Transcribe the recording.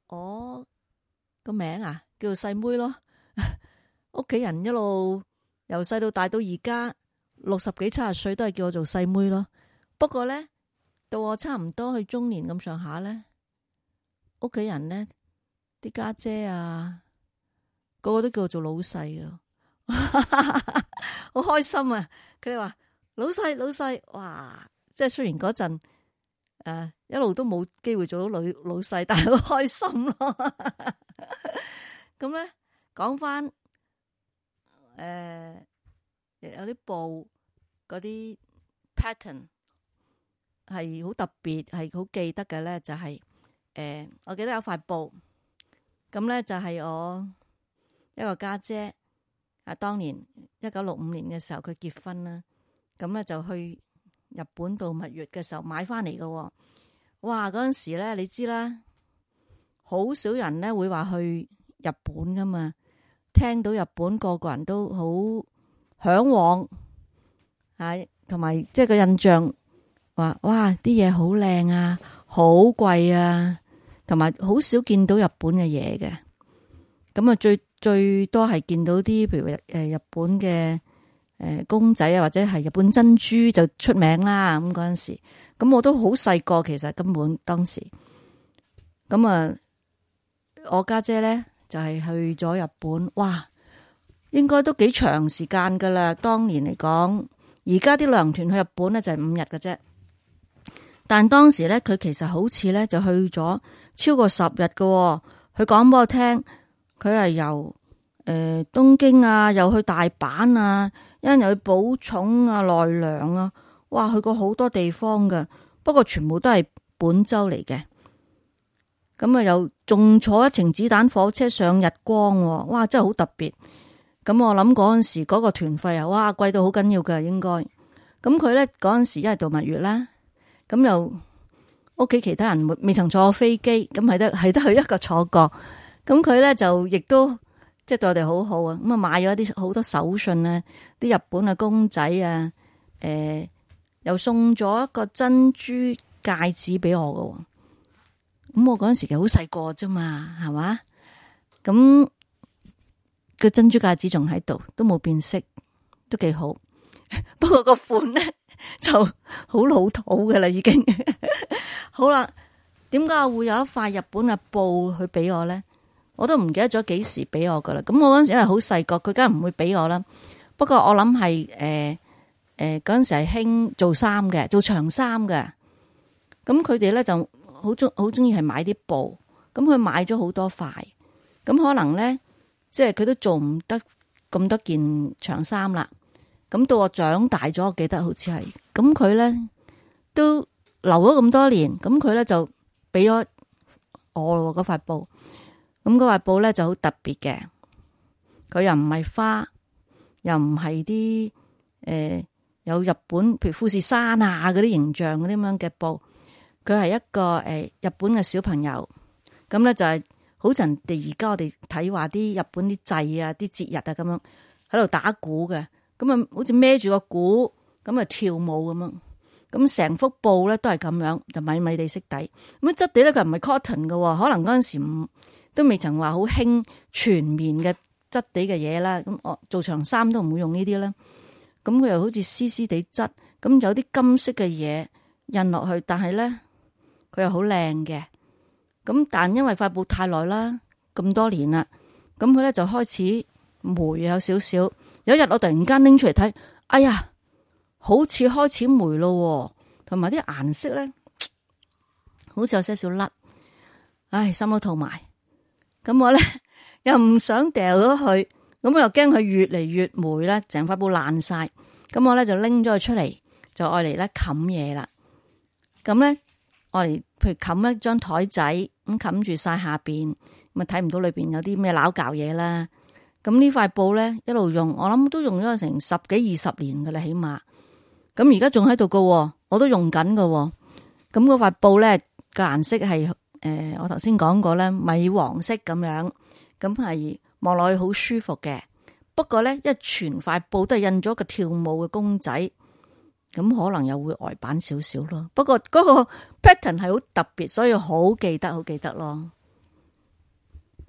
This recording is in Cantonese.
我個名啊叫做細妹咯。屋企人一路由細到大到而家60幾70歲都係叫我做細妹咯。不過咧到我差唔多去中年咁上下咧，屋企人咧啲家姐啊個個都叫我做老細啊。好開心啊！佢哋話老細，哇！即係雖然嗰陣一路都冇機會做到老細，但係好開心咯。咁咧講翻有啲布嗰啲 pattern 係好特別，係好記得嘅咧，就係我記得有塊布，咁咧就係我一個家姐當年1965年嘅時候佢結婚啦，咁咧就去日本度蜜月嘅時候買翻嚟嘅。哇！嗰陣時咧你知啦，好少人咧會話去日本噶嘛，聽到日本個個人都好向往，同埋即係個印象話哇啲嘢好靚啊，好貴啊，同埋好少見到日本嘅嘢嘅。咁啊最多係見到啲譬如日本嘅公仔啊，或者係日本珍珠就出名啦。咁嗰陣時，咁我都好細個，其實根本當時咁啊，我家姐咧就係去咗日本，哇，應該都幾長時間噶啦。當年嚟講，而家啲旅行團去日本咧就係5日嘅啫，但當時咧佢其實好似咧就去咗超過10日嘅。佢講俾我聽，佢係由東京啊，又去大阪啊，一陣又去寶塚啊、奈良啊，哇，去過好多地方嘅。不過全部都係本州嚟嘅。咁啊，又仲坐一程子彈火車上日光，哇，真係好特別。咁我諗嗰陣時嗰個團費啊，哇，貴到好緊要㗎應該。咁佢咧嗰陣時一係度蜜月啦，咁又屋企其他人未曾坐過飛機，咁係得佢一個坐過。咁佢咧就亦都即係對我哋好好啊。咁啊買咗啲好多手信啊，啲日本嘅公仔啊，又送咗一個珍珠戒指俾我㗎。咁我嗰陣時其實好細個啫嘛，係嘛？咁個珍珠戒指仲喺度，都冇變色，都幾好。不過個款咧就好老土㗎啦，已經。好啦，點解我會有一塊日本嘅布去俾我咧？我都唔記得咗幾時俾我噶啦。咁我嗰陣時因為好細個，佢梗係唔會俾我啦。不過我諗係嗰陣時係興做衫嘅，做長衫嘅。咁佢哋咧就好中意係買啲布。咁佢買咗好多塊。咁可能咧，即係佢都做唔得咁多件長衫啦。咁到我長大咗，我記得好似係。咁佢咧都留咗咁多年。咁佢咧就俾咗我咯嗰塊布。咁嗰塊布咧就好特別嘅，佢又唔係花，又唔係啲有日本譬如富士山啊嗰啲形象嗰啲咁樣嘅布，佢係一個日本嘅小朋友，咁咧就係好似人哋而家我哋睇話啲日本啲祭啊、啲節日啊咁樣喺度打鼓嘅，咁啊好似孭住個鼓咁啊跳舞咁樣，咁成幅布咧都係咁樣，就米米地色底，咁質地咧佢唔係 cotton 嘅，可能嗰陣時都未曾話好興全棉嘅質地嘅嘢啦，咁我做長衫都唔會用呢啲啦。咁佢又好似絲絲地質，咁有啲金色嘅嘢印落去，但係咧佢又好靚嘅。咁但因為塊布太耐啦，咁多年啦，咁佢咧就開始霉有少少。有一日我突然間拎出嚟睇，哎呀，好似開始霉咯，同埋啲顏色咧好似有些少甩，唉，心都痛埋。咁我咧又唔想掉咗佢，咁我又驚佢越嚟越霉啦，成塊布爛晒。咁我咧就拎咗佢出嚟，就愛嚟咧冚嘢啦。咁咧愛嚟譬如冚一張台仔，咁冚住晒下邊，咁啊睇唔到裏邊有啲咩撈搞嘢啦。咁呢塊布咧一路用，我諗都用咗成10幾20年噶啦，起碼。咁而家仲喺度噶，我都用緊噶。咁嗰塊布咧個顏色係。我頭先講過咧，米黃色咁樣，咁係望落去好舒服嘅。不過咧，因為全塊布都係印咗個跳舞嘅公仔，咁可能又會呆板少少咯。不過嗰個 pattern 係好特別，所以好記得咯。